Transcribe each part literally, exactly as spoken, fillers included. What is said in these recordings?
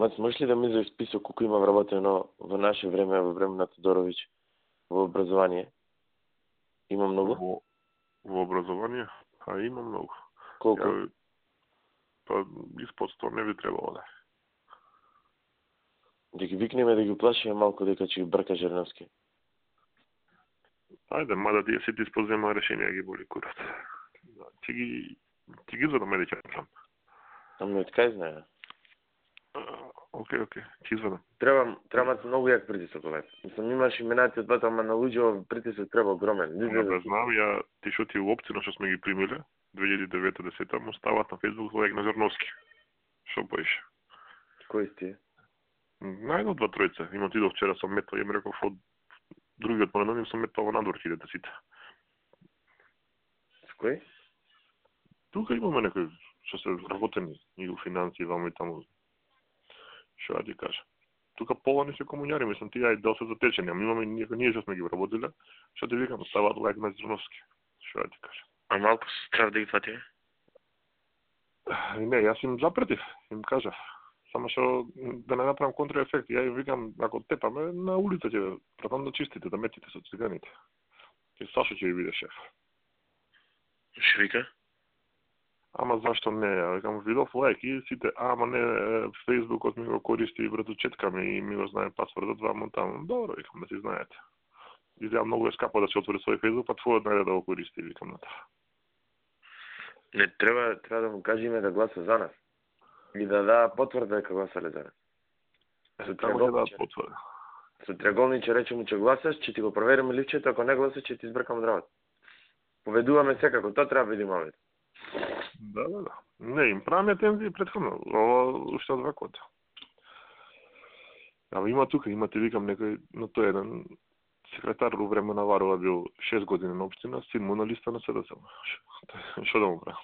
Мац, можеш ли да ми изрази список колку има вработено во наше време, во време на Тодорович, во образование? Има многу? Во, во образование? А има многу. Колку? Ја, па, испод сто не би требало да. Да ги викнеме да ги плашиме малку дека ќе ги брка Жерновски. Ајде, мада тие сите испозема решенија ги боли курат. Да, ќе ги, ќе ги извадам, ајде ќе направам. Ами од кај знае? Океј, океј, ќе извадам. Треба, треба многу јак притисок овај. Мислам, имаш именати од двата, ама на луѓе притисок треба огромен. Не да знам, ја ти што ти опцина што сме ги примиле, две илјади и девета десета, му стават на Facebook лайк на Жерновски. Што поише? Кои сте? Најдо два тројца. Има отидов вчера сам метал и им реков од другиот понеделник сум метал во надвор кидете сите. С кој? Тука имаме некои што се работени и во финансии, вамо и таму. Што ја ти кажа? Тука полани се комуњари, мислам, тие ај дел се затечени, ама имаме некои ние што сме ги вработиле, што ти викам, ставаат лайк на Жерновски. Што ја ти кажа? А малку се страв да ги фати? Не, јас им запретив, им кажав. Само што да не направам контраефект, ја им викам, ако тепаме, на улица ќе пратам да чистите, да метите со циганите. Ке Сашо ќе ви биде шеф. Што вика? Ама зашто не? Ја викам, видов лайк и сите, ама не, Фејсбукот ми го користи враточетками и ми го знае пасвордот, вамо таму. Добро, викам, да си знаете. Изгледа многу е скапо да се отвори свој Фејсбук, па твојот најде да го користи, викам на тоа. Не, треба, треба да му кажеме да гласа за нас. И да да потврда дека гласале за нас. Со триаголниче, да потврда. Со триаголниче рече му че гласаш, че ти го провериме ливчето, ако не гласаш, че ти избркам здравот. Поведуваме секако, тоа треба да биде мовет. Да, да, да. Не, им правиме тензии претходно, ова уште од вакот. Ама има тука, има ти викам некој, но тој еден секретар во време на Варова бил шест години на општина, син му на листа на СДС. Што да му прави?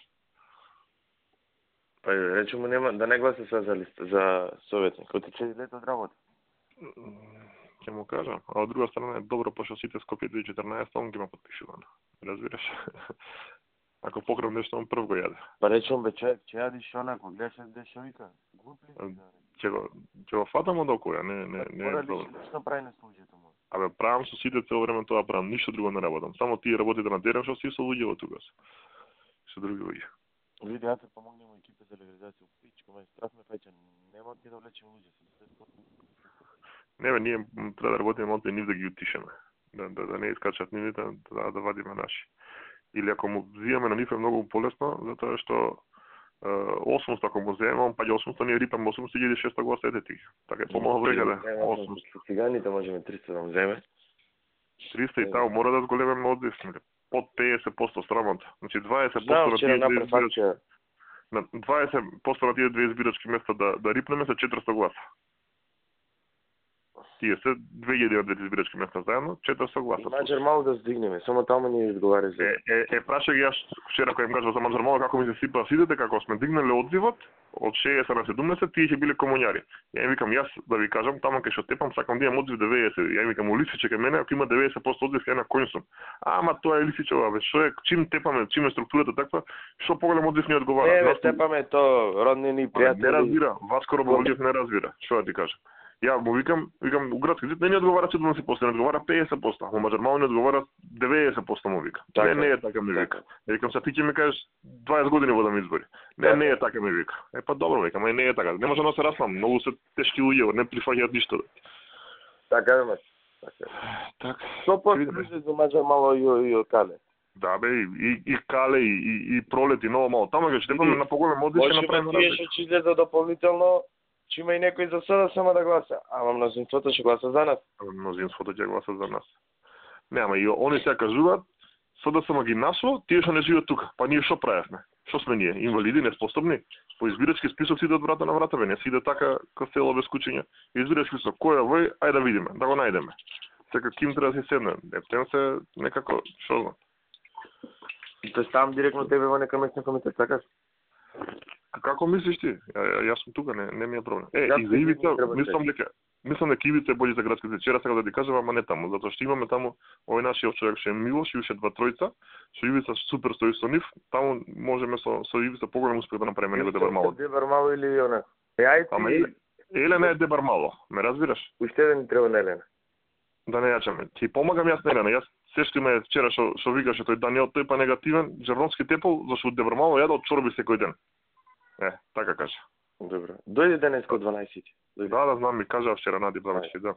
Па рече му нема да не гласа за листа за советник, кој ти лето од работа. Ќе му кажам, а од друга страна е добро пошто сите Скопје две илјади и четрнаесетта он ги има потпишувано. Разбираш? Ако покрем нешто, он прв го јаде. Па рече он бе човек, че јадиш онако, гледаш де што вика. Глуп ли? Ќе го ќе го фатам од окоја, не не не е добро. Што прави на службата му? Абе правам со сите цело време тоа правам, ништо друго не работам. Само тие работите на терен што си со луѓе од тука. Со други луѓе. Види, ја те помогнем екипе за легализација. Пичко, ме страх ме фаќа. Нема ти да влечеме луѓе се. Не бе, ние треба да работиме малку нив да ги утишеме. Да да, да не искачат нивите, да да вадиме наши. Или ако му взимаме на нив е многу полесно, затоа што осумсто ако му земеме, он паѓа осумсто, ние рипаме осумсто илјади и шеста гласа етети. Така е помалку вреќа осумсто. Циганите можеме триста да му земе. триста и таму мора да зголемиме одвисни. Под педесет проценти срамота. Значи дваесет проценти на тие две избирачки. На дваесет проценти на тие две избирачки места да да рипнеме се четиристо гласа. Тие се две илјади на две избирачки места заедно, четиристо гласа. Маџар мало да здигнеме, само таму ни изговари за. Е, е, е прашај ги јас вчера кога им кажав за Маџар мало како ми се сипаа сидите, како сме дигнале одзивот од шеесет на седумдесет, тие ќе биле комуњари. Ја им викам јас да ви кажам, таму кај што тепам сакам да имам одзив деветдесет. Ја им викам улисиче кај мене, ако има деветдесет проценти одзив ја на коњ сум. Ама тоа е лисичево, бе, што е, чим тепаме, чим е структурата таква, што поголем одзив ни одговара. Не, бе, тепаме то роднини пријатели. Не разбира, Васко Роболиев не разбира, што да ти кажам. Ја му викам, викам у градски зид не ни одговара седумдесет проценти, не одговара педесет проценти, а Маџар мало не одговара деветдесет проценти му вика. Така, не, не е така ми вика. Ја викам се ти ќе ми кажеш дваесет години водам избори. Не, така. Не е така ми вика. Е па добро викам, е не е така. Не може да се раслам, многу се тешки луѓе, не прифаќаат ништо. Така е, мас. Така. Така. Што потребуваш за Маџар мало и и Кале? Да бе, и и Кале и и, и Пролет и ново мало. Таму ќе штепаме на поголем одиш ќе направиме разлика. Може би ќе излезе дополнително. Че има и некој за sada само да гласа, ама мнозинството ќе гласа за нас. Мнозинството ќе гласа за нас. Не, ама и они се кажуваат, sada само ги нашло, тие што не живеат тука. Па ние што правевме? Што сме ние? Инвалиди, неспособни? По избирачки список си од врата на врата, бе, не си иде така кај село без кучиња. Избирачки список, кој е вој, ајде да видиме, да го најдеме. Сека ким треба да се седне, ептен се некако, што знам. Те ставам директно тебе во нека местна комитет, така? Како мислиш ти? Ја, ја, јас сум тука, не, не ми е проблем. Е, и за Ивица, мислам дека мислам дека Ивица е бољи за градските. Вчера сакам да ти кажам, ама не таму, затоа што имаме таму овој нашиот човек што е Милош и уште два тројца, што Ивица супер стои со нив, таму можеме со со Ивица поголем успех да направиме него Дебар мало. Дебар мало или онако. Е, ајде. Ама и Елена е дебар мало, ме разбираш? Уште еден ни треба на Елена. Да не јачаме. Ти помагам јас на Елена. Јас се што има вчера што што викаше тој Даниел, тој па негативен, Джерновски тепол, зашто дебар мало јаде од чорби секој ден. Е, така кажа. Добро. Дојде денес од дванаесет. Да, да, знам, ми кажа вчера Нади Блавачки, да.